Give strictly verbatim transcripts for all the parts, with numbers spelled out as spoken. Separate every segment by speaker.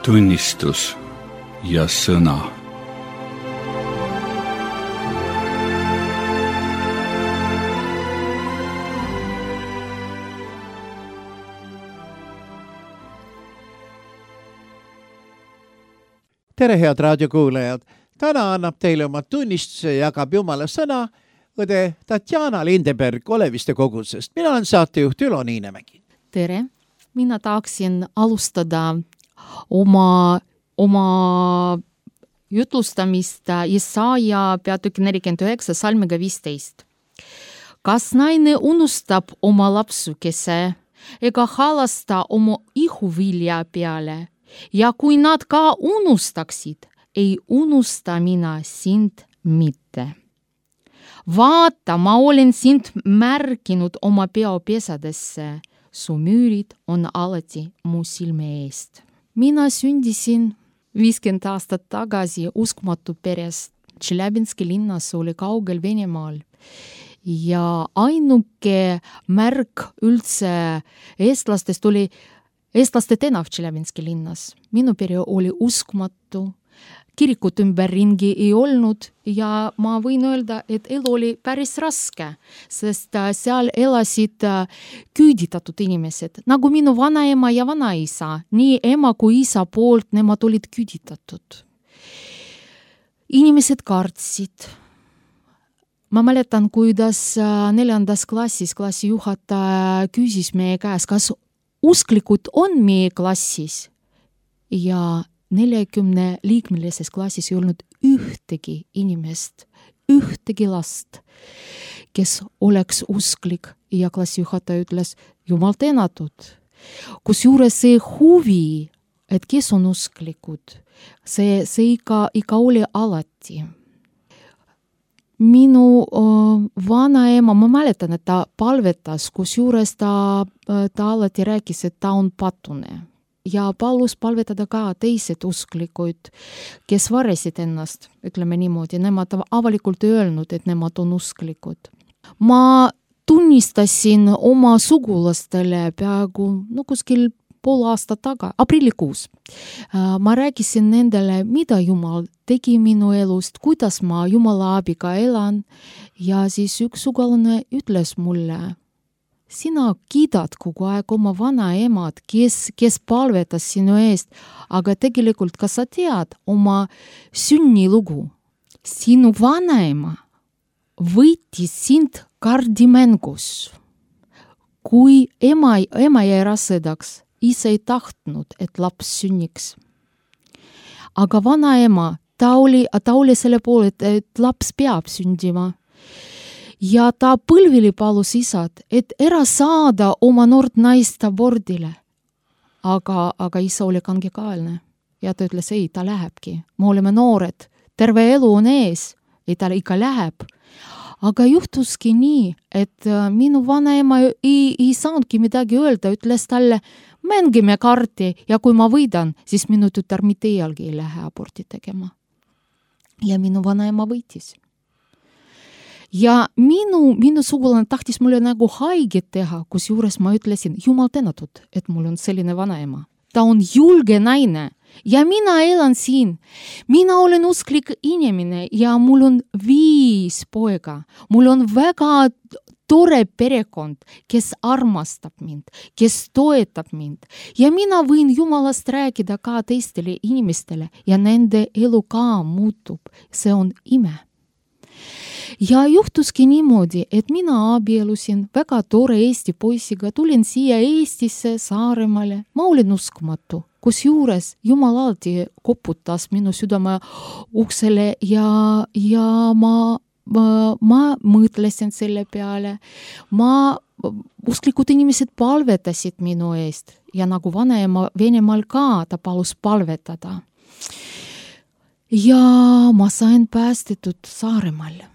Speaker 1: tunnistus ja sõna.
Speaker 2: Tere, head raadiokuulajad! Täna annab teile oma tunnistuse ja jagab Jumala sõna õde Tatjana Lindeberg Oleviste kogudusest. Mina olen saatejuht Ülo Niinemägi.
Speaker 3: Tere! Mina tahaksin alustada oma, oma jutlustamist Jesaja peatükki nelikümmend üheksa salmiga viisteist. Kas naine unustab oma lapsukese ega halasta oma ihuvilja peale? Ja kui nad ka unustaksid, ei unusta mina sind mitte. Vaata, ma olen sind märkinud oma peopesadesse. Su müürid on alati mu silme eest. Mina sündisin viiskümmend aastat tagasi uskumatu perest. Tšeljabinski linnas oli kaugel Venemaal. Ja ainuke märk üldse eestlastest oli eestlaste tänav Tšeljabinski linnas. Minu pere oli uskumatu. Kirikut ümber ringi ei olnud ja ma võin öelda, et elu oli päris raske, sest seal elasid küüditatud inimesed, nagu minu vanaema ja vanaisa. Nii ema kui isa poolt nemad olid küüditatud. Inimesed kartsid. Ma mäletan, kuidas neljandas klassis klassijuhataja küsis meie käes, kas usklikud on meie klassis ja neljakümne liikmelises klassis ei olnud ühtegi inimest, ühtegi last, kes oleks usklik ja klassijuhataja ütles, Jumal tänatud. Kusjuures see huvi, et kes on usklikud, see, see ikka, ikka oli alati. Minu uh, vanaema, ma mäletan, et ta palvetas, kusjuures ta, ta alati rääkis, et ta on patune. Ja palus palvetada ka teised usklikuid, kes varesid ennast, ütleme niimoodi, nemad avalikult öelnud, et nemad on usklikud. Ma tunnistasin oma sugulastele peaaegu no, kuskil pool aastat taga, aprillikuus. Ma rääkisin nendele, mida Jumal tegi minu elust, kuidas ma Jumala abiga elan ja siis üks sugulane ütles mulle, sina kiidad kogu aeg oma vanaemad, kes, kes palvetas sinu eest, aga tegelikult ka sa tead oma sünnilugu. Sinu vanaema võitis sind kardimängus. Kui ema, ema jäi rasedaks, isa ei tahtnud, et laps sünniks. Aga vanaema, ta oli, ta oli selle poole, et, et laps peab sündima. Ja ta põlvili palus isad, et ära saada oma noort naist abordile. Aga, aga isa oli kangekaelne. Ja ta ütles, ei, ta lähebki. Me oleme noored. Terve elu on ees. Ei, ta ikka läheb. Aga juhtuski nii, et minu vanaema ei, ei saanudki midagi öelda. Ütles talle, mängime karti ja kui ma võidan, siis minu tütar mitte iialgi ei lähe aborti tegema. Ja minu vanaema võitis. Ja minu, minu sugulane tahtis mulle nagu haiget teha, kus juures ma ütlesin, Jumal tänatud, et mul on selline vanaema. Ta on julge naine ja mina elan siin. Mina olen usklik inimene ja mul on viis poega. Mul on väga tore perekond, kes armastab mind, kes toetab mind. Ja mina võin Jumalast rääkida ka teistele inimestele ja nende elu ka muutub. See on ime. Ja juhtuski niimoodi, et mina abielusin väga tore Eesti poisiga, tulin siia Eestisse Saaremaale. Ma olin uskumatu, kus juures Jumal alati koputas minu südame uksele ja, ja ma, ma, ma mõtlesin selle peale. Ma, usklikud inimesed palvetasid minu eest ja nagu vanaema Venemaal ka ta palus palvetada. Ja ma sain päästetud Saaremaal.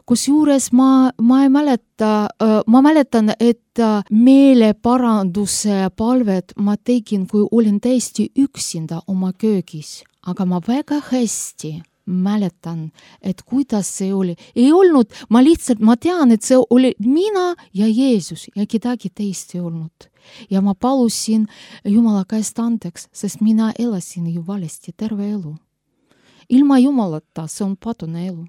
Speaker 3: Kusjuures ma, ma ei mäleta, ma mäletan, et meeleparanduse palvet ma tegin, kui olin täiesti üksinda oma köögis. Aga ma väga hästi mäletan, et kuidas see oli. Ei olnud, ma lihtsalt, ma tean, et see oli mina ja Jeesus ja kedagi teist ei olnud. Ja ma palusin Jumala käest andeks, sest mina elasin ju valesti terve elu. Ilma Jumalata see on patune elu.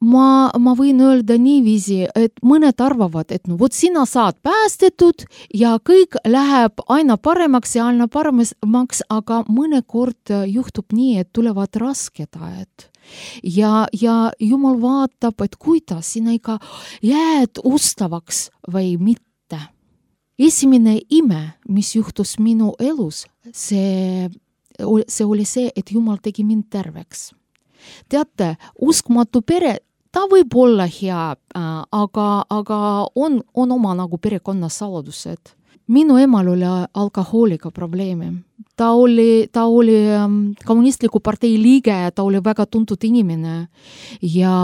Speaker 3: Ma, ma võin öelda niiviisi, et mõned arvavad, et no vot sina saad päästetud ja kõik läheb aina paremaks ja aina paremaks, aga mõnekord juhtub nii, et tulevad rasked ajad. Ja, ja Jumal vaatab, et kuidas sina ikka jääd ustavaks või mitte. Esimene ime, mis juhtus minu elus, see, see oli see, et Jumal tegi mind terveks. Teate, uskmatu pere, ta võib olla hea, aga, aga on, on oma nagu perekonna saladused. Minu emal oli alkohooliga probleemi. Ta oli, ta oli kommunistliku partei liige ja ta oli väga tuntud inimene ja,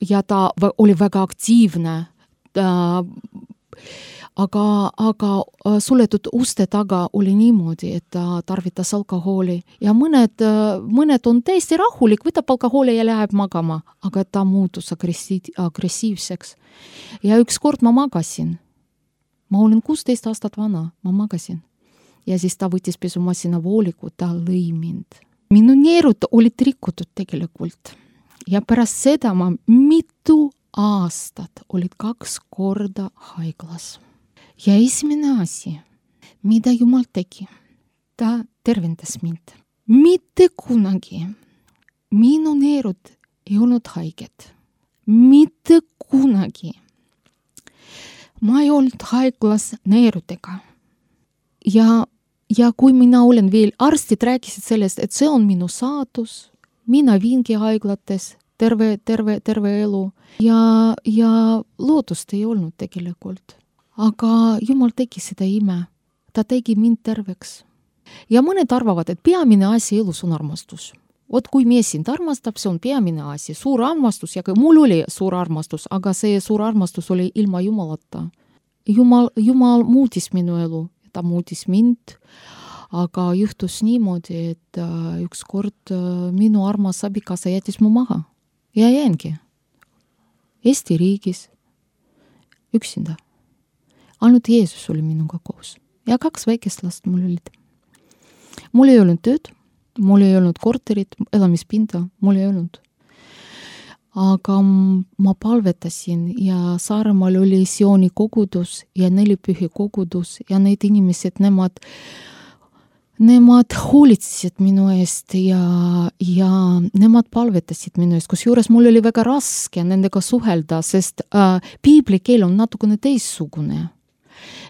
Speaker 3: ja ta oli väga aktiivne. Ta, aga, aga suletud uste taga oli niimoodi, et ta tarvitas alkohooli ja mõned, mõned on täiesti rahulik, võtab alkohooli ja läheb magama, aga ta muutus agressiiv, agressiivseks. Ja ükskord ma magasin. Ma olin kuusteist aastat vana, ma magasin. Ja siis ta võttis pesumasina vooliku, ta lõi mind. Minu neerud olid rikutud tegelikult. Ja pärast seda ma mitu aastat olid kaks korda haiglas. Ja esimene asi, mida Jumal tegi, ta tervendas mind. Mitte kunagi minu neerud ei olnud haiged. Mitte kunagi. Ma ei olnud haiglas neerudega. Ja, ja kui mina olen veel, arstid rääkisid sellest, et see on minu saatus, mina viingi haiglates terve, terve, terve elu ja, ja lootust ei olnud tegelikult. Aga Jumal tegi seda ime. Ta tegi mind terveks. Ja mõned arvavad, et peamine asi elus on armastus. Ot kui mees sind armastab, see on peamine asi. Suur armastus ja mul oli suur armastus, aga see suur armastus oli ilma Jumalata. Jumal, Jumal muutis minu elu. Ta muutis mind, aga juhtus niimoodi, et üks kord minu armas abikaasa jättis mu maha. Ja jäängi. Eesti riigis. Üksinda. Ainult Jeesus oli minuga koos. Ja kaks väikest last mul olid. Mul ei olnud tööd. Mul ei olnud korterit, elamispinda, mul ei olnud. Aga ma palvetasin ja Saaremaal oli Siooni kogudus ja nelipühi kogudus ja need inimesed, nemad, nemad hoolitsesid minu eest ja, ja nemad palvetasid minu eest, kus juures mul oli väga raske nendega suhelda, sest äh, piiblikeel on natukene teissugune.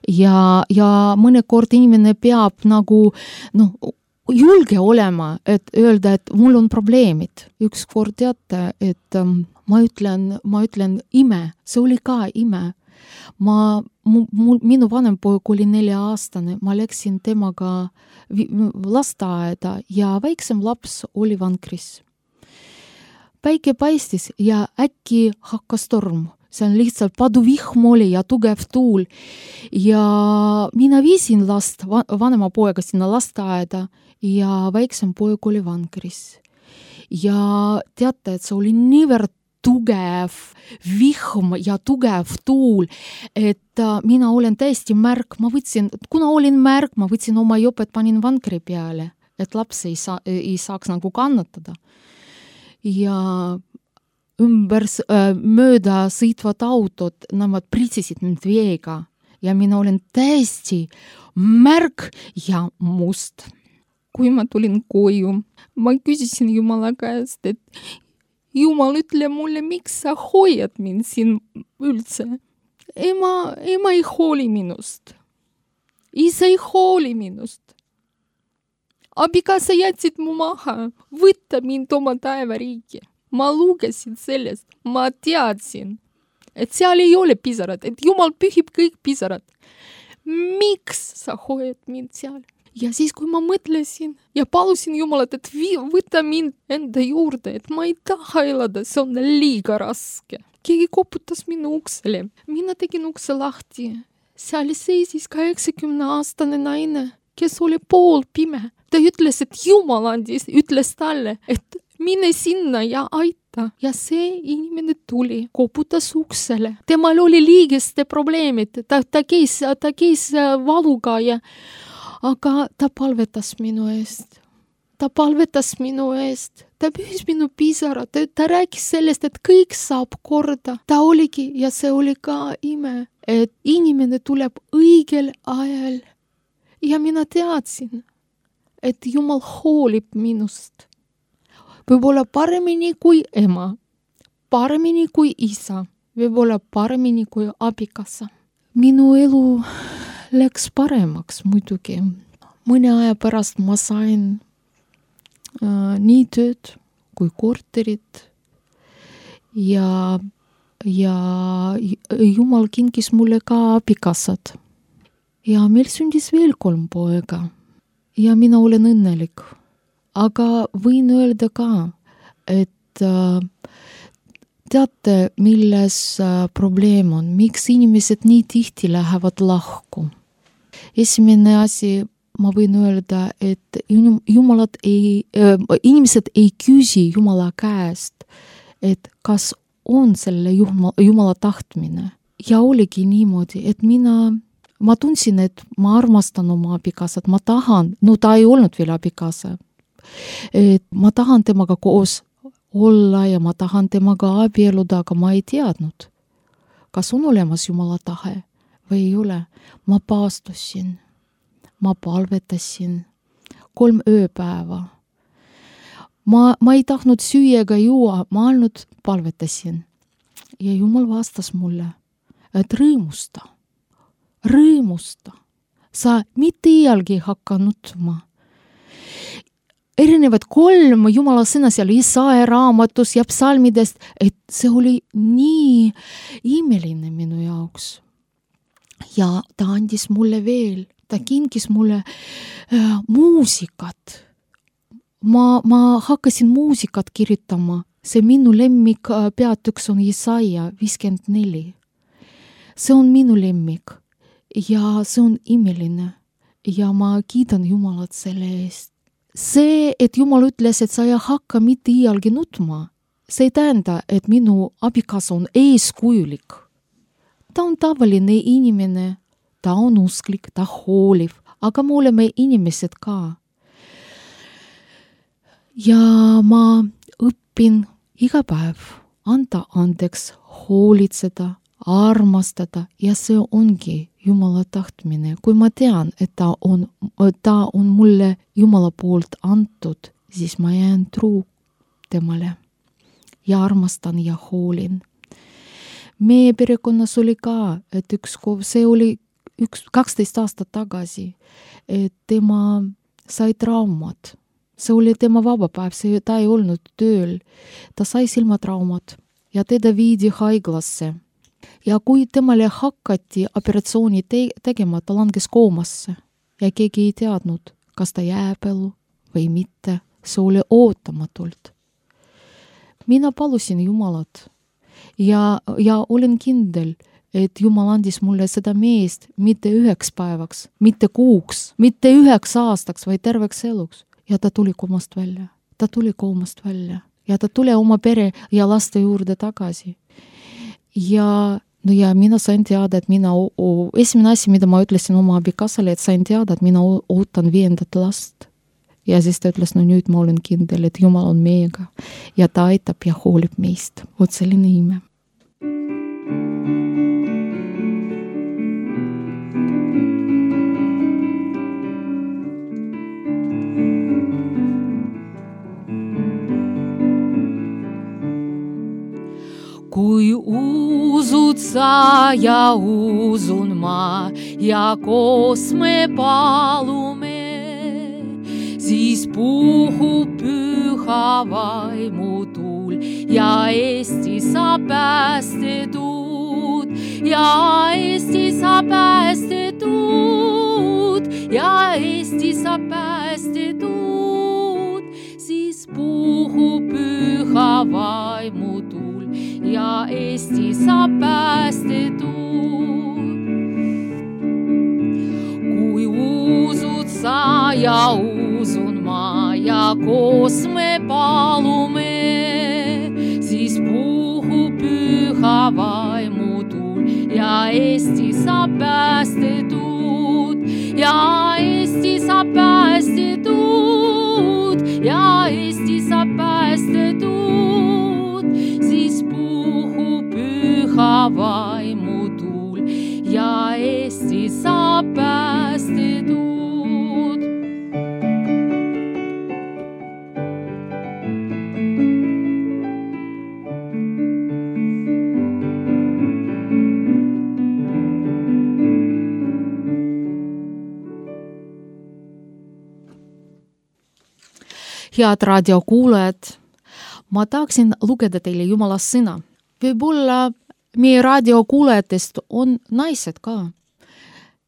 Speaker 3: Ja, ja mõnekord inimene peab nagu, noh, julge olema, et öelda, et mul on probleemid. Ükskord teate, et um, ma ütlen, ma ütlen ime, see oli ka ime. Ma, mul, minu vanem poeg oli nelja-aastane, ma läksin temaga lasteaeda ja väiksem laps oli vankris. Päike paistis ja äkki hakkas torm. See on lihtsalt paduvihm oli ja tugev tuul. Ja mina viisin last, vanema poega sinna lasteaeda ja väiksem poeg oli vankris. Ja teate, et see oli niivõrd tugev vihm ja tugev tuul, et mina olen täiesti märk. Ma võtsin, kuna olin märk, ma võtsin oma jopet, panin vankri peale, et laps ei, saa, ei saaks nagu kannatada. Ja ümber mööda sõitvad autod, nemad pritsisid mind veega ja mina olen täiesti märk ja must. Kui ma tulin koju, ma küsisin Jumala käest, et Jumal, ütle mulle, miks sa hoiad mind siin üldse? Ema, ema ei hooli minust. Isa ei hooli minust. Abikaasa jätsid mu maha, võtta mind oma taevariiki. Ma lugesin sellest, ma teadsin, et seal ei ole pisarad, et Jumal pühib kõik pisarad. Miks sa hoiad mind seal? Ja siis, kui ma mõtlesin ja palusin Jumalat, et võta mind enda juurde, et ma ei taha elada, see on liiga raske. Keegi koputas minu uksele. Mina tegin ukse lahti. Seal seisis kaheksakümne aastane naine, kes oli pool pime. Ta ütles, et Jumal andis, ütles talle, et mine sinna ja aita. Ja see inimene tuli, koputas uksele. Temal oli liigeste probleemid, ta, ta käis, ta käis valuga ja aga ta palvetas minu eest. Ta palvetas minu eest. Ta pühis minu pisara. Ta, ta rääkis sellest, et kõik saab korda. Ta oligi ja see oli ka ime, et inimene tuleb õigel ajal. Ja mina teadsin, et Jumal hoolib minust. Võib-olla paremini kui ema, paremini kui isa, võib-olla paremini kui abikassa. Minu elu läks paremaks muidugi. Mõne aja pärast ma sain äh, nii tööd kui korterit ja, ja Jumal kinkis mulle ka abikassad. Ja meil sündis veel kolm poega ja mina olen õnnelik. Aga võin öelda ka, et äh, teate, milles äh, probleem on, miks inimesed nii tihti lähevad lahku. Esimene asi, ma võin öelda, et jumalad ei, äh, inimesed ei küsi Jumala käest, et kas on selle Jumala, Jumala tahtmine. Ja oligi niimoodi, et mina, ma tundsin, et ma armastan oma abikassat, ma tahan, no ta ei olnud veel abikassa. Et ma tahan temaga koos olla ja ma tahan temaga abieluda, aga ma ei teadnud, kas on olemas Jumala tahe või ei ole. Ma paastusin, ma palvetasin kolm ööpäeva. Ma, ma ei tahtnud süüa ega juua, ma ainult palvetasin. Ja Jumal vastas mulle, et rõõmusta, rõõmusta. Sa mitte iialgi hakka nutma. Erinevad kolm Jumala sõna seal Isaia raamatus ja psalmidest, et see oli nii imeline minu jaoks. Ja ta andis mulle veel, ta kinkis mulle äh, muusikat. Ma, ma hakkasin muusikat kirjutama. See minu lemmik äh, peatüks on Isaia viiskümmend neli. See on minu lemmik ja see on imeline ja ma kiidan Jumalat selle eest. See, et Jumal ütles, et sa ei hakka mitte iialgi nutma, see ei tähenda, et minu abikaasa on eeskujulik. Ta on tavaline inimene, ta on usklik, ta hooliv, aga me oleme inimesed ka. Ja ma õpin iga päev anda andeks, hoolitseda, armastada ja see ongi Jumala tahtmine. Kui ma tean, et ta on, ta on mulle Jumala poolt antud, siis ma jään truu temale ja armastan ja hoolin. Meie perekonnas oli ka, et üks, see oli üks, kaksteist aastat tagasi, et tema sai traumad. See oli tema vabapäev, see, ta ei olnud tööl. Ta sai silmatraumad ja teda viidi haiglasse. Ja kui temale hakati operatsiooni te- tegema, ta langes koomasse ja keegi ei teadnud, kas ta jääb elu või mitte. See oli ootamatult. Mina palusin Jumalat ja, ja olen kindel, et Jumal andis mulle seda meest mitte üheks päevaks, mitte kuuks, mitte üheks aastaks, vaid terveks eluks. Ja ta tuli koomast välja. Ta tuli koomast välja ja ta tuli oma pere ja laste juurde tagasi. Ja, no ja mina sain teada, et mina, esimene asi, mida ma ütlesin oma abikassale, et sain teada, et mina ootan viiendat last. Ja siis ta ütles, no nüüd ma olen kindel, et Jumal on meiega ja ta aitab ja hoolib meist. Vot selline ime. Kui usud sa ja usun ma ja koos me palume, siis puhub püha vaimu tuul ja Eesti saab päästetud ja Eesti saab päästetud ja Eesti saab päästetud, siis puhub püha vaimu tuul ja Eesti saab päästetud. Kui usud sa ja usun ma ja koos me palume, päästetud, siis puhub püha vaimu tuul ja Eesti saab päästetud. Head raadiokuulajad, ma tahaksin lugeda teile Jumala sõna. Võib-olla meie raadiokuulajatest on naised ka.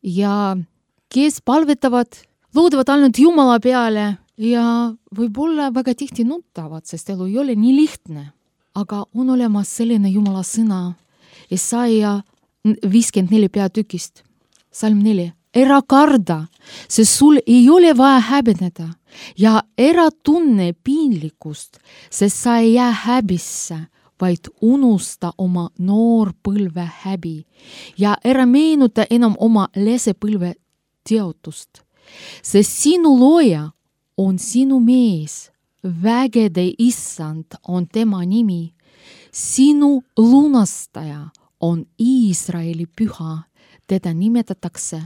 Speaker 3: Ja kes palvetavad, loodavad ainult Jumala peale ja võib-olla väga tihti nutavad, sest elu ei ole nii lihtne. Aga on olemas selline Jumala sõna, Jesaja viiskümmend neli peatükist, salm neli. Ära karda, sest sul ei ole vaja häbeneda ja ära tunne piinlikkust, sest sa ei jää häbisse, vaid unusta oma noorpõlve häbi ja ära meenuta enam oma lesepõlve teotust. Sest sinu looja on sinu mees, vägede issand on tema nimi, sinu lunastaja on Iisraeli püha, teda nimetatakse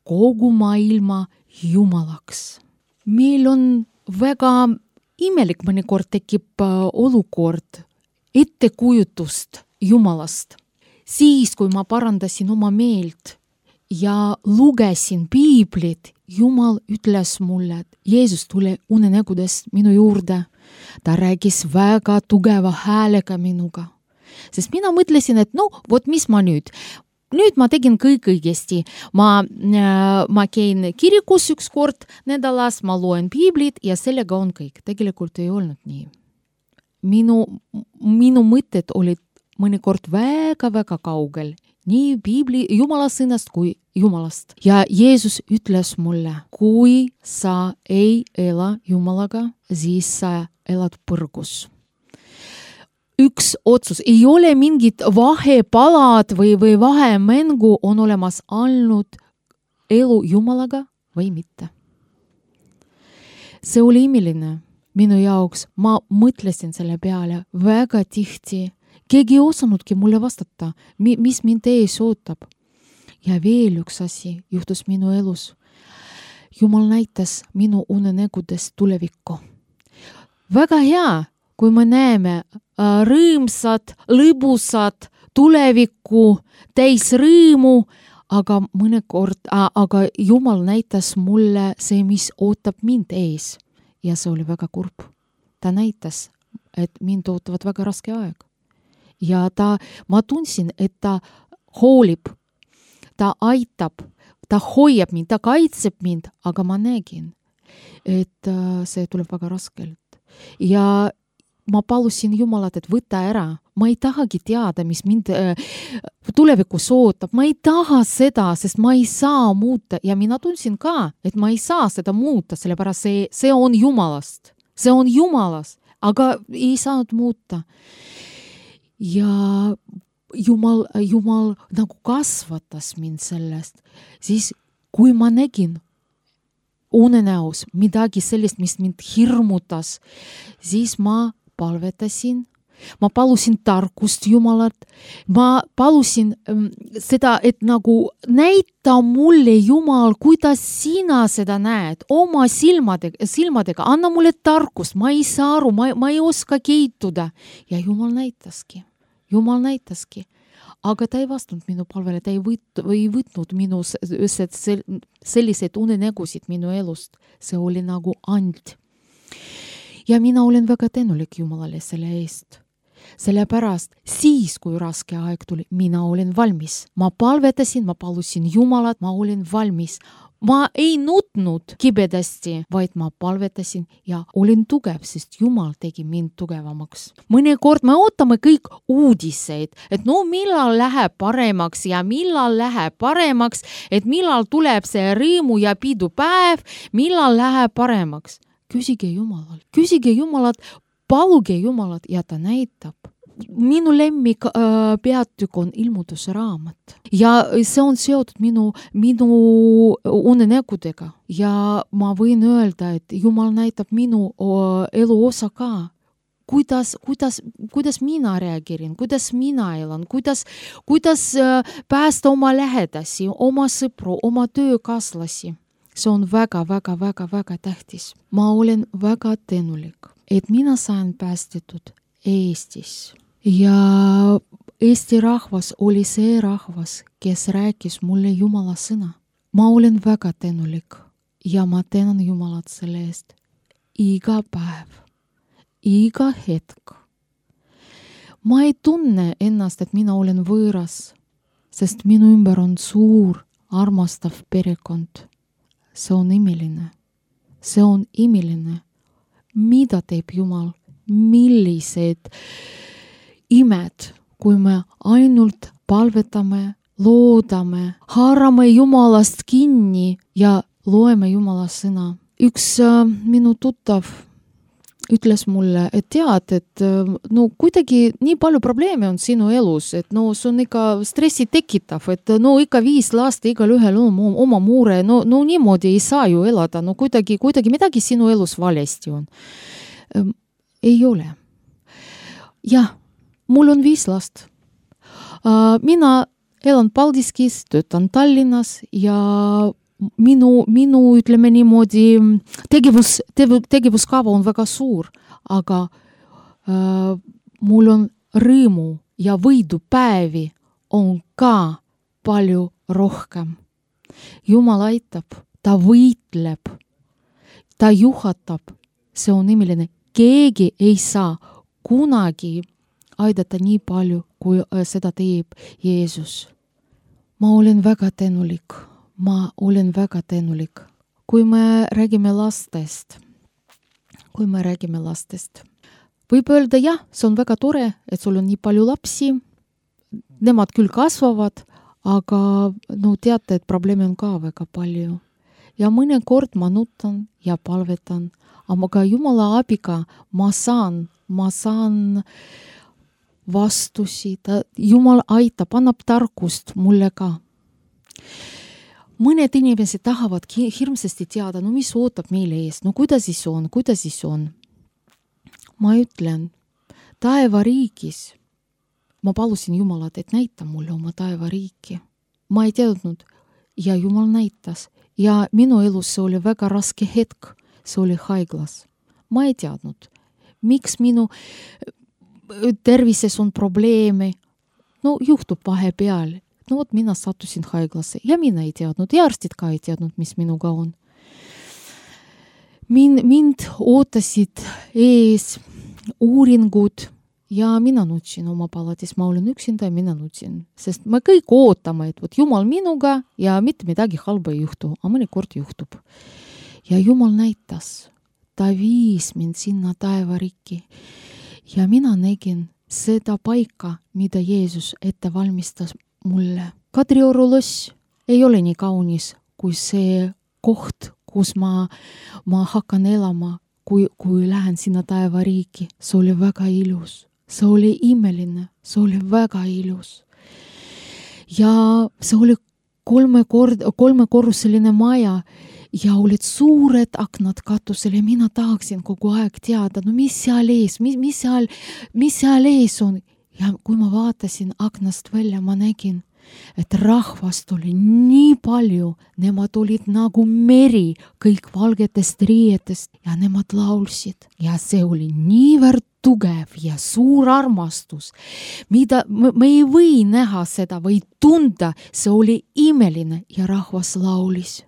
Speaker 3: kogu maailma Jumalaks. Meil on väga imelik mõnikord tekib olukord ettekujutust Jumalast. Siis, kui ma parandasin oma meelt ja lugesin piiblit, Jumal ütles mulle, et Jeesus tuli unenägudest minu juurde. Ta rääkis väga tugeva häälega minuga. Sest mina mõtlesin, et no, vot mis ma nüüd? Nüüd ma tegin kõik õigesti. Ma, ma käin kirikus üks kord nädalas, ma loen piiblit ja sellega on kõik. Tegelikult ei olnud nii. Minu, minu mõtted olid mõnikord väga-väga kaugel. Nii piibli Jumala sõnast kui Jumalast. Ja Jeesus ütles mulle, kui sa ei ela Jumalaga, siis sa elad põrgus. Üks otsus, ei ole mingit vahepalad või, või vahemängu, on olemas ainult elu Jumalaga või mitte. See oli imeline minu jaoks, ma mõtlesin selle peale väga tihti. Keegi ei osanudki mulle vastata, mis mind ees ootab. Ja veel üks asi juhtus minu elus. Jumal näitas minu unenägudest tulevikku. Väga hea, kui me näeme rõõmsad, lõbusad, tulevikku, täis rõõmu, aga mõnikord, aga Jumal näitas mulle see, mis ootab mind ees. Ja see oli väga kurb. Ta näitas, et mind ootavad väga raske aeg. Ja ta, ma tundsin, et ta hoolib, ta aitab, ta hoiab mind, ta kaitseb mind, aga ma nägin, et see tuleb väga raskelt. Ja ma palusin Jumalat, et võta ära. Ma ei tahagi teada, mis mind äh, tulevikus ootab. Ma ei taha seda, sest ma ei saa muuta. Ja mina tundsin ka, et ma ei saa seda muuta, sellepärast see, see on Jumalast. See on Jumalast, aga ei saanud muuta. Ja Jumal, Jumal nagu kasvatas mind sellest. Siis, kui ma nägin unenäos midagi sellist, mis mind hirmutas, siis ma palvetasin, ma palusin tarkust Jumalat, ma palusin ähm, seda, et nagu näita mulle Jumal, kuidas sina seda näed, oma silmadega, silmadega, anna mulle tarkust, ma ei saa aru, ma, ma ei oska keituda. Ja Jumal näitaski, Jumal näitaski. Aga ta ei vastanud minu palvele, ta ei, võt, ei võtnud minu selliseid unenägusid minu elust. See oli nagu and. Ja mina olen väga tänulik Jumalale selle eest. Sellepärast siis, kui raske aeg tuli, mina olen valmis. Ma palvetasin, ma palusin Jumalat, ma olen valmis. Ma ei nutnud kibedasti, vaid ma palvetasin ja olin tugev, sest Jumal tegi mind tugevamaks. Mõnikord me ootame kõik uudiseid, et no millal läheb paremaks ja millal läheb paremaks, et millal tuleb see rõõmu ja pidu päev, millal läheb paremaks. Küsige Jumalalt, küsige Jumalat, paluge Jumalat ja ta näitab. Minu lemmik äh, peatükk on ilmutuse raamat ja see on seotud minu, minu unenägudega ja ma võin öelda, et Jumal näitab minu äh, elu osa ka. kuidas, kuidas, kuidas mina reageerin, kuidas mina elan, kuidas, kuidas päästa oma lähedasi, oma sõpru, oma töökaaslasi. See on väga, väga, väga, väga tähtis. Ma olen väga tänulik, et mina sain päästetud Eestis. Ja Eesti rahvas oli see rahvas, kes rääkis mulle Jumala sõna. Ma olen väga tänulik ja ma tänan Jumalat selle eest. Iga päev, iga hetk. Ma ei tunne ennast, et mina olen võõras, sest minu ümber on suur, armastav perekond. See on imeline. See on imeline. Mida teeb Jumal? Millised imed, kui me ainult palvetame, loodame, haarame Jumalast kinni ja loeme Jumala sõna. Üks äh, minu tuttav ütles mulle, et tead, et no kuidagi nii palju probleeme on sinu elus, et no see on ikka stressi tekitav, et no ikka viis last, igal ühel on oma mure, no, no niimoodi ei saa ju elada, no kuidagi, kuidagi midagi sinu elus valesti on. Ei ole. Jah, mul on viis last. Mina elan Paldiskis, töötan Tallinnas ja Minu, minu ütleme niimoodi, tegevus, tegevuskava on väga suur, aga äh, mul on rõõmu ja võidupäevi on ka palju rohkem. Jumal aitab, ta võitleb, ta juhatab, see on imeline. Keegi ei saa kunagi aidata nii palju, kui seda teeb Jeesus. Ma olen väga tänulik. Ma olen väga tänulik. Kui me räägime lastest, kui me räägime lastest, võib öelda, jah, see on väga tore, et sul on nii palju lapsi, nemad küll kasvavad, aga no teate, et probleeme on ka väga palju. Ja mõne kord ma nutan ja palvetan, aga Jumala abiga ma saan, ma saan vastusi, ta, Jumal aitab, annab tarkust mulle ka. Mõned inimesed tahavad hirmsasti teada, no mis ootab meile ees, no kuidas siis on, kuidas siis on. Ma ütlen, taevariigis, ma palusin Jumalat, et näita mulle oma taevariiki. Ma ei teadnud ja Jumal näitas ja minu elus see oli väga raske hetk, see oli haiglas. Ma ei teadnud, miks minu tervises on probleeme, no juhtub vahepeal. No vot, mina sattusin haiglasse ja mina ei teadnud ja arstid ka ei teadnud, mis minuga on. Min, mind ootasid ees uuringud ja mina nutsin oma palatis. Ma olen üksinda ja mina nutsin, sest me kõik ootame, et võt, Jumal minuga ja mitte midagi halba ei juhtu, aga mõnikord juhtub. Ja Jumal näitas, ta viis mind sinna taevariiki ja mina nägin seda paika, mida Jeesus ette valmistas mulle. Kadrioru loss ei ole nii kaunis kui see koht, kus ma, ma hakkan elama, kui, kui lähen sinna taevariiki. See oli väga ilus, see oli imeline, see oli väga ilus. Ja see oli kolme kord, kolmekorruseline maja ja olid suured aknad katusel ja mina tahaksin kogu aeg teada, no mis seal ees, mis, mis, seal, mis seal ees on. Ja kui ma vaatasin aknast välja, ma nägin, et rahvast oli nii palju, nemad olid nagu meri, kõik valgetest riietest ja nemad laulsid. Ja see oli niivõrd tugev ja suur armastus, mida me ei või näha seda või tunda, see oli imeline ja rahvas laulis.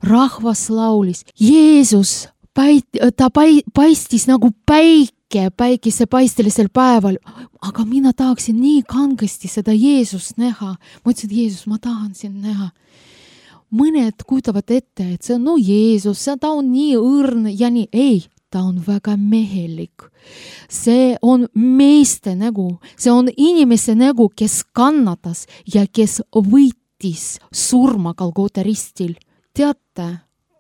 Speaker 3: Rahvas laulis. Jeesus, ta paistis nagu päik, päikese paistelisel päeval, aga mina tahaksin nii kangesti seda Jeesust näha. Ma ütlesin, Jeesus, ma tahan sind näha. Mõned kujutavad ette, et see on no Jeesus, ta on nii õrn ja nii. Ei, ta on väga mehelik. See on meeste nägu, see on inimese nägu, kes kannatas ja kes võitis surma Golgota ristil. Teate,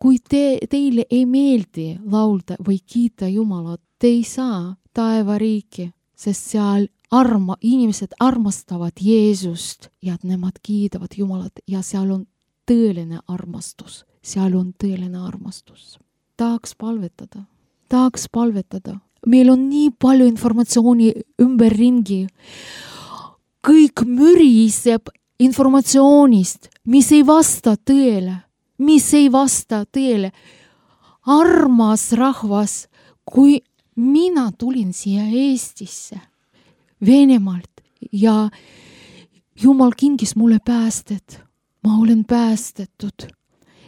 Speaker 3: kui te, teile ei meeldi laulda või kiita Jumalat, te ei saa taevariiki, sest seal arma, inimesed armastavad Jeesust ja nemad kiidavad Jumalat ja seal on tõeline armastus. Seal on tõeline armastus. Tahaks palvetada. Tahaks palvetada. meil on nii palju informatsiooni ümberringi. Kõik müriseb informatsioonist, mis ei vasta tõele, mis ei vasta tõele. Armas rahvas, kui mina tulin siia Eestisse, Venemaalt ja Jumal kingis mulle päästet, ma olen päästetud,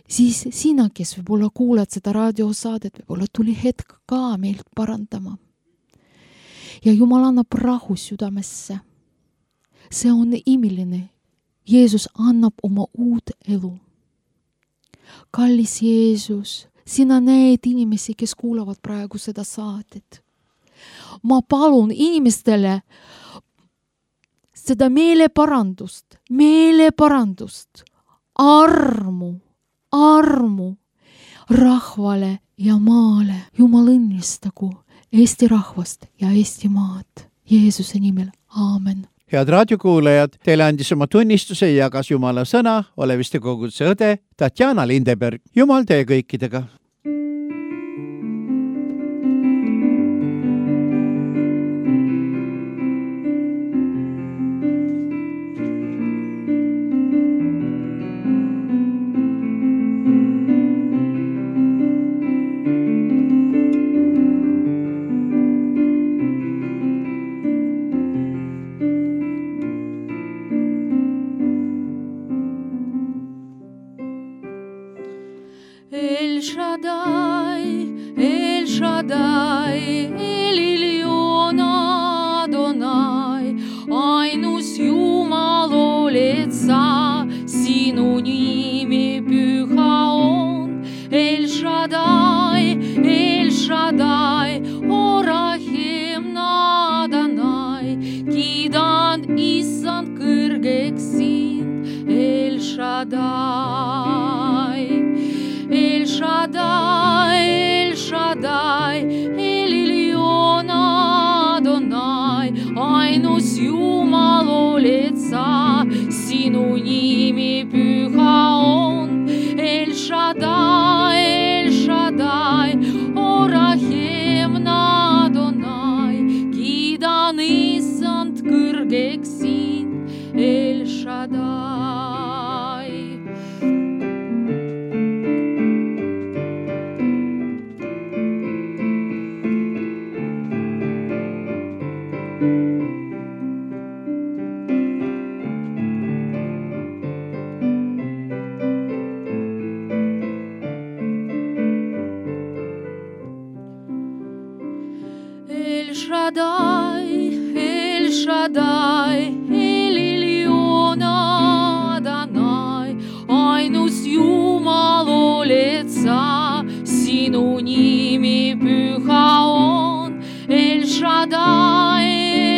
Speaker 3: siis sina, kes võib-olla kuulad seda raadiosaadet, võib-olla tuli hetk ka meilt parandama. Ja Jumal annab rahu südamesse. See on imiline. Jeesus annab oma uut elu. Kallis Jeesus, sina näed inimesi, kes kuulavad praegu seda saadet. Ma palun inimestele seda meeleparandust, meeleparandust, armu, armu rahvale ja maale. Jumal õnnistagu Eesti rahvast ja Eesti maad. Jeesuse nimel. Aamen.
Speaker 2: Head raadiokuulajad, teile andis oma tunnistuse ja jagas Jumala sõna Oleviste koguduse õde Tatjana Lindeberg. Jumal teie kõikidega.
Speaker 4: El Shaddai, El Shaddai, Elilion Adonai, ainus Jumal oled sa, sinu nimi püha on. El Shaddai, El Shaddai, Orahim Adonai, kiidan issand kõrgeks sind, El Shaddai. El Shaddai, El Shaddai, Elilion Adonai, ainus Jumal oled sa, sinu nimi püha on. El Shaddai, El Shaddai, Orahim Adonai, kiidan issand kõrgeks sind, El Shaddai. El Shaddai, El Shaddai, Elilion Adonai, ainus Jumal oled sa, sinu nimi püha on. El Shaddai,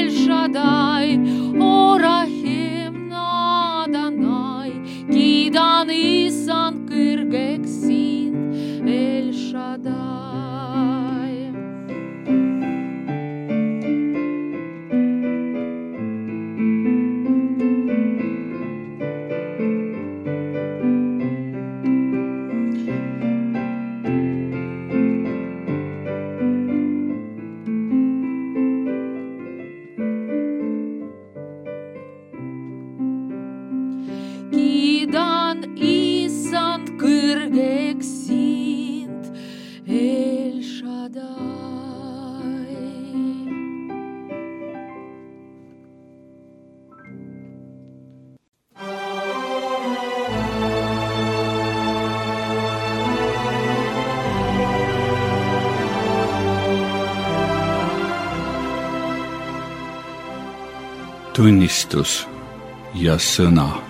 Speaker 4: El Shaddai, Orahim Adonai, kiidan issand kõrgeks sind, El Shaddai. Kiidan issand kõrgeks sind, El Shaddai.
Speaker 1: Tunnistus ja sõna.